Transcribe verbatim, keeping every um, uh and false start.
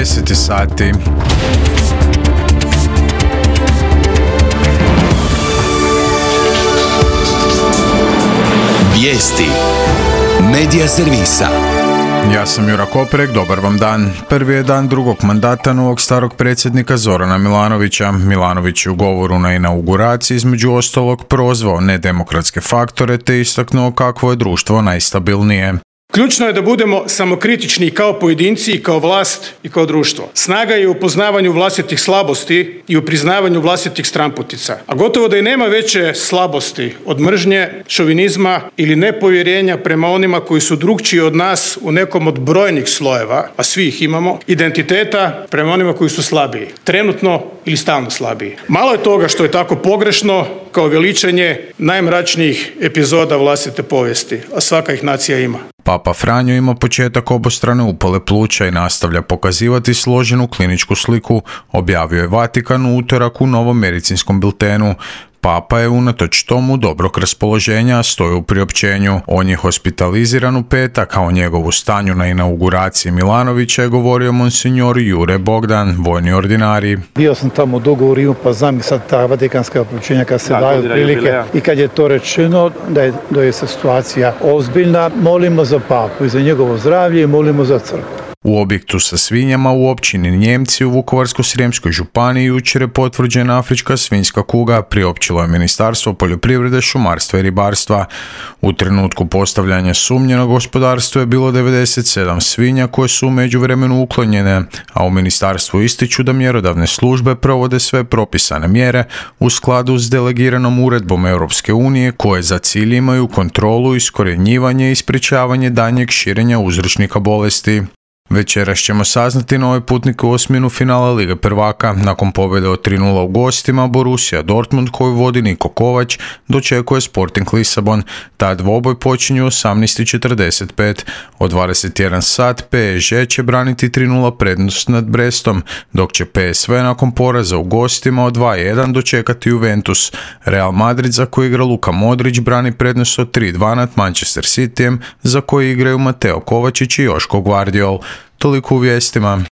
deset sati. Vijesti Medija servisa. Ja sam Jura Koprek, dobar vam dan. Prvi je dan drugog mandata novog starog predsjednika Zorana Milanovića. Milanović je u govoru na inauguraciji između ostalog prozvao nedemokratske faktore te istaknuo kakvo je društvo najstabilnije. Ključno je da budemo samokritični i kao pojedinci i kao vlast i kao društvo. Snaga je u poznavanju vlastitih slabosti i u priznavanju vlastitih stranputica. A gotovo da i nema veće slabosti od mržnje, šovinizma ili nepovjerenja prema onima koji su drukčiji od nas u nekom od brojnih slojeva, a svi ih imamo, identiteta prema onima koji su slabiji, trenutno ili stalno slabiji. Malo je toga što je tako pogrešno kao veličanje najmračnijih epizoda vlastite povijesti, a svaka ih nacija ima. Papa Franjo ima početak obostrane upale pluća i nastavlja pokazivati složenu kliničku sliku, objavio je Vatikan u utorak u novom medicinskom biltenu. Papa je unatoč tomu dobrog raspoloženja, stoji u priopćenju. On je hospitaliziran u petak, a o njegovu stanju na inauguraciji Milanovića je govorio monsignor Jure Bogdan, vojni ordinarij. Bio sam tamo u dogovoru, pa znam sad ta vatikanska priopćenja kad se daju prilike i kad je to rečeno da je, da je situacija ozbiljna, molimo za papu i za njegovo zdravlje i molimo za crkvu. U objektu sa svinjama u općini Njemci u Vukovarsko-srijemskoj županiji jučer je potvrđena afrička svinjska kuga, priopćilo je Ministarstvo poljoprivrede, šumarstva i ribarstva. U trenutku postavljanja sumnje na gospodarstvo je bilo devedeset sedam svinja koje su u međuvremenu uklonjene, a u ministarstvu ističu da mjerodavne službe provode sve propisane mjere u skladu s delegiranom uredbom Europske unije koje za cilj imaju kontrolu, iskorjenjivanje i sprječavanje daljnjeg širenja uzročnika bolesti. Večeras ćemo saznati nove putnike u osminu finala Lige prvaka. Nakon pobjede od tri nula u gostima, Borussia Dortmund koju vodi Niko Kovač dočekuje Sporting Lisabon. Ta dvoboj počinju u osamnaest i četrdeset pet. Od dvadeset jedan sat P S G će braniti tri nula prednost nad Brestom, dok će P S V nakon poraza u gostima od dva jedan dočekati Juventus. Real Madrid, za koji igra Luka Modrić, brani prednost od tri dva nad Manchester Cityjem, za koji igraju Mateo Kovačić i Joško Gvardiol. Toliko u vijestima.